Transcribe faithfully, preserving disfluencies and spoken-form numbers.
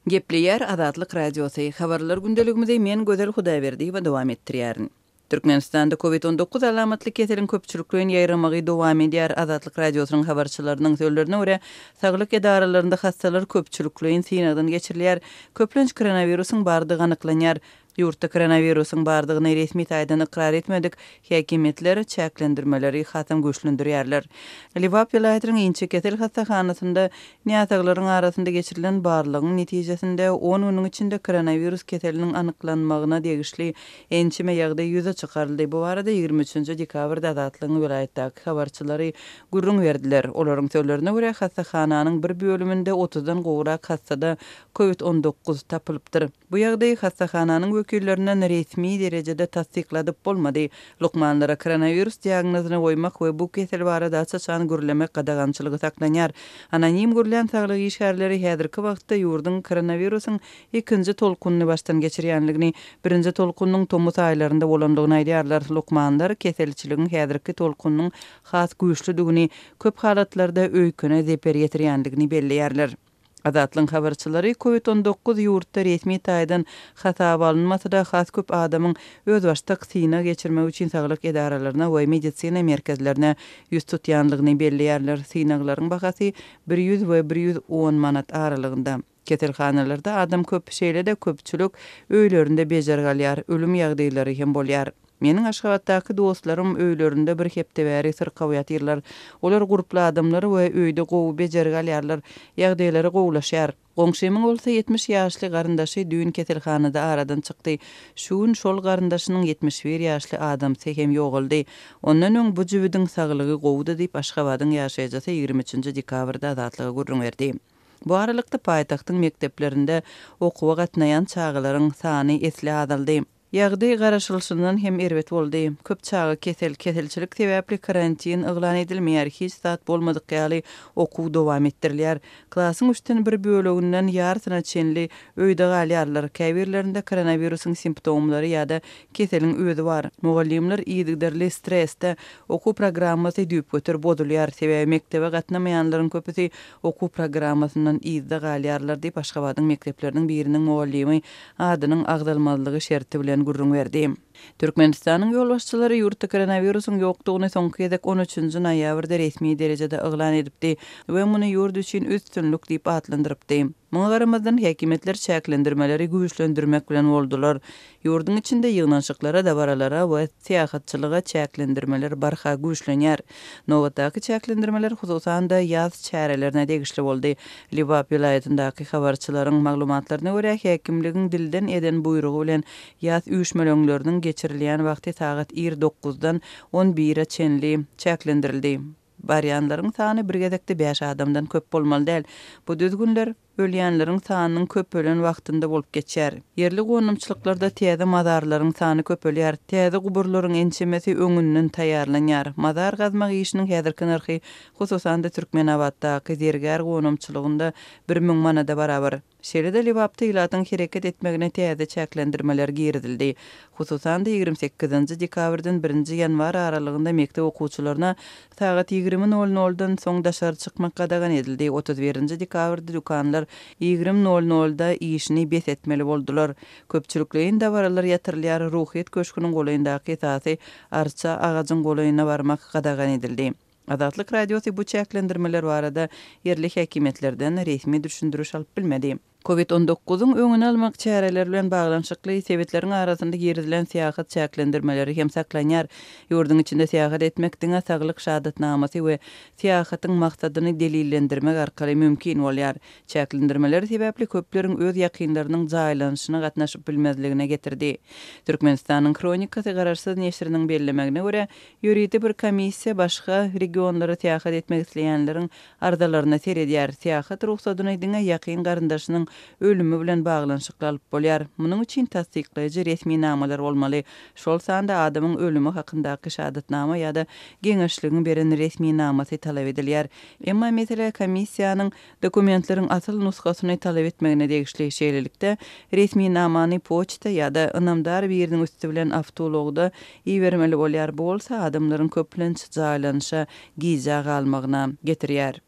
Gepleýär Azatlyk Radiosy, Habarlar gündeligimizi men Gözel Hudaýberdiýewa dowam etdirýärin. Türkmenistanda Covid on dokuz alamatly keseliň köpçülikleýin ýaýramagy dowam edýär. Azatlyk Radiosynyň habarçylarynyň sözlerine görä, saglyk edaralarynda hassalar köpçülikleýin synagdan geçirilýär. Köplenç koronawirusyň bardygy anyklanýar. Ýurtda koronawirusyň bardygyny resmi taýdan ykrar etmedik häkimiýetler çäklendirmeleri hasam güýçlendirýärler. Lebap welaýatynyň inçekesel hassahanasynda näsaglaryň arasynda geçirilen barlagyň netijesinde on günüň içinde koronawirus keseliniň anyklanmagyna degişli ençeme ýagdaý ýüze çykaryldy. Bu barada ýigrimi üçünji dekabrda Azatlygyň welaýatdaky habarçylary gürrüň berdiler. Olaryň sözlerine görä, hassahananyň bir bölüminde otuzdan gowrak hassada Covid on dokuz tapylypdyr. Bu ýagdaý hassahananyň wekillerinden resmi derejede tassykladyp bolmady. Lukmanlara koronawirus diagnozyny goýmak we bu kesel barada aç-açan gürlemek gadagançylygy saklanýar. Anonim gürlän saglyk işgärleri häzirki wagtda ýurduň koronawirusyň ikinji tolkunyny başdan geçirýänligini, birinji tolkunyň tomus aýlarynda bolandygyny aýdýarlar. Lukmanlar keselçiligiň häzirki tolkunyň has güýçlüdigini, köp halatlarda öýkene zeper ýetirýänligini belleýärler. Azatlygyň habarçylary Covid on dokuz ýurtda resmi taýdan hasaba alynmasa-da has köp adamyň özbaşdak synag geçirmek üçin saglyk edaralaryna we medisina merkezlerine ýüz tutýanlygyny belleýärler. Synaglaryň bahasy bir ýüz we bir ýüz on manat aralygynda. Keselhanalarda adam köp, şeýle-de köpçülik öýlerinde bejergi alýar, ölüm ýagdaýlary hem bolýar. Meniň Aşgabatdaky dostlarym öýlerinde bir hepde bäri syrkaw ýatyrlar. Olar gurply adamlar we öýde gowy bejergi alýarlar, ýagdaýlary gowulaşýar. Goňşymyň bolsa ýetmiş ýaşly garyndaşy düýn keselhanada aradan çykdy. Şu gün şol garyndaşynyň ýetmiş bir ýaşly adamsy hem ýogaldy. Ondan öň bu jübüdiň saglygy gowudy diýip Aşgabadyň ýaşaýjysy ýigrimi üçünji dekabrda Azatlyga gürrüň berdi. Bu aralykda paýtagtyň mekdeplerinde okuwa gatnaýan çagalaryň sany esli azaldy. Ýagdaý garaşylyşyndan hem erbet boldy. Köp çaga kesel, keselçilik sebäpli karantin yglan edilmeýär, hiç zat bolmadyk ýaly okuw dowam etdirilýär. Klasyň üçden bir böleginden ýarsyna çenli öýde galýarlar. Käbirlerinde koronawirusyň simptomlary ýa-da keseliň özi bar. Mugallymlar yzygiderli stresde okuw programmasy düýpgöter bozulýar. Sebäbi mekdebe gatnamaýanlaryň köpüsi okuw programmasyndan yzda galýarlar diýip Aşgabadyň mekdepleriniň biriniň mugallymy adynyň agzalmazlygy şerti bilen gürrüň berdi. Türkmenistanyň ýolbaşçylary ýurtda koronawirusyň ýokdugyny soňky gezek on üçünji noýabrda resmi derejede yglan edipdi we muny ýurt üçin üstünlik diýip atlandyrypdy. Muňa garamazdan häkimiýetler çäklendirmeleri güýçlendirmek bilen boldular. Ýurduň içinde ýygnanyşyklara, dabaralara we syýahatçylyga çäklendirmeler barha güýçlenýär. Nobatdaky çäklendirmeler hususan-da ýaz çärelerine degişli boldy. Lebap welaýatyndaky habarçylaryň maglumatlaryna görä, häkimligiň dilden eden buýrugy bilen ýaz üýşmeleňleriniň geçirilýän wagty sagat ir dokuzdan on bire çenli çäklendirildi. Barýanlaryň sany bir gezekde bäş adamdan köp bolmaly däl. Bu düzgünler ölýänleriň sanynyň köpelen wagtynda bolup geçýär. Ýerli gonamçylyklarda täze mazarlaryň sany köpelýär. Täze guburlaryň ençemesi öňünden taýýarlanýar. Mazar gazmak işiniň häzirki nyrhy hususan-da Türkmenabatdaky zergär gonamçylygynda bir müň manada barabar. Şeýle-de Lebapda ilatyň hereket etmegine täze çäklendirmeler girizildi. Hususan-da ýigrimi sekizinji dekabrdan birinji ýanwar aralygynda mekdep okuwçylaryna sagat ýigrimi nol noldan soň daşary çykmak gadagan edildi. Otuz birinji dekabrda dükanlar ýigrimi nol nolda işini bes etmeli boldular. Köpçülikleýin dabaralar ýatyrylýar. Ruhyýet köşgüniň golaýyndaky esasy arça agajyň golaýyna barmak gadagan edildi. Azatlyk Radiosy bu çäklendirmeler barada ýerli häkimiýetlerden resmi düşündiriş alyp bilmedi. Covid on dokuzyň öňüni almak çäreleri bilen baglanyşykly sebetleriň arasynda girizilen syýahat çäklendirmeleri hem saklanýar. Ýurduň içinde syýahat etmek diňe saglyk şahadatnamasy we syýahatyň maksadyny delillendirmek arkaly mümkin bolýar. Çäklendirmeler sebäpli köpleriň öz ýakynlarynyň jaýlanyşyna gatnaşyp bilmezligine getirdi. Türkmenistanyň Kronikasy garaşsyz neşiriniň bellemegine görä, ýörite bir komissiýa başga regionlara syýahat etmek isleýänleriň arzalaryna seredýär. Syýahat ruhsadyny diňe ýakyn garyndaşynyň ölümi bilen baglanyşykly alyp bolýar. Munuň üçin tassyklaýjy resminamalar bolmaly. Şol sanda adamyň ölümi hakyndaky şahadatnama ýa-da geňeşligiň beren resminamasy talap edilýär. Emma mesele komissiýanyň dokumentleriň asyl nusgasyny talap etmegine degişli. Şeýlelikde, resminamany poçta ýa-da ynamdar biriniň üsti bilen awtoulagda ibermeli bolýar. Bu bolsa adamlaryň köplenç jaýlanyşa gijä galmagyna getirýär.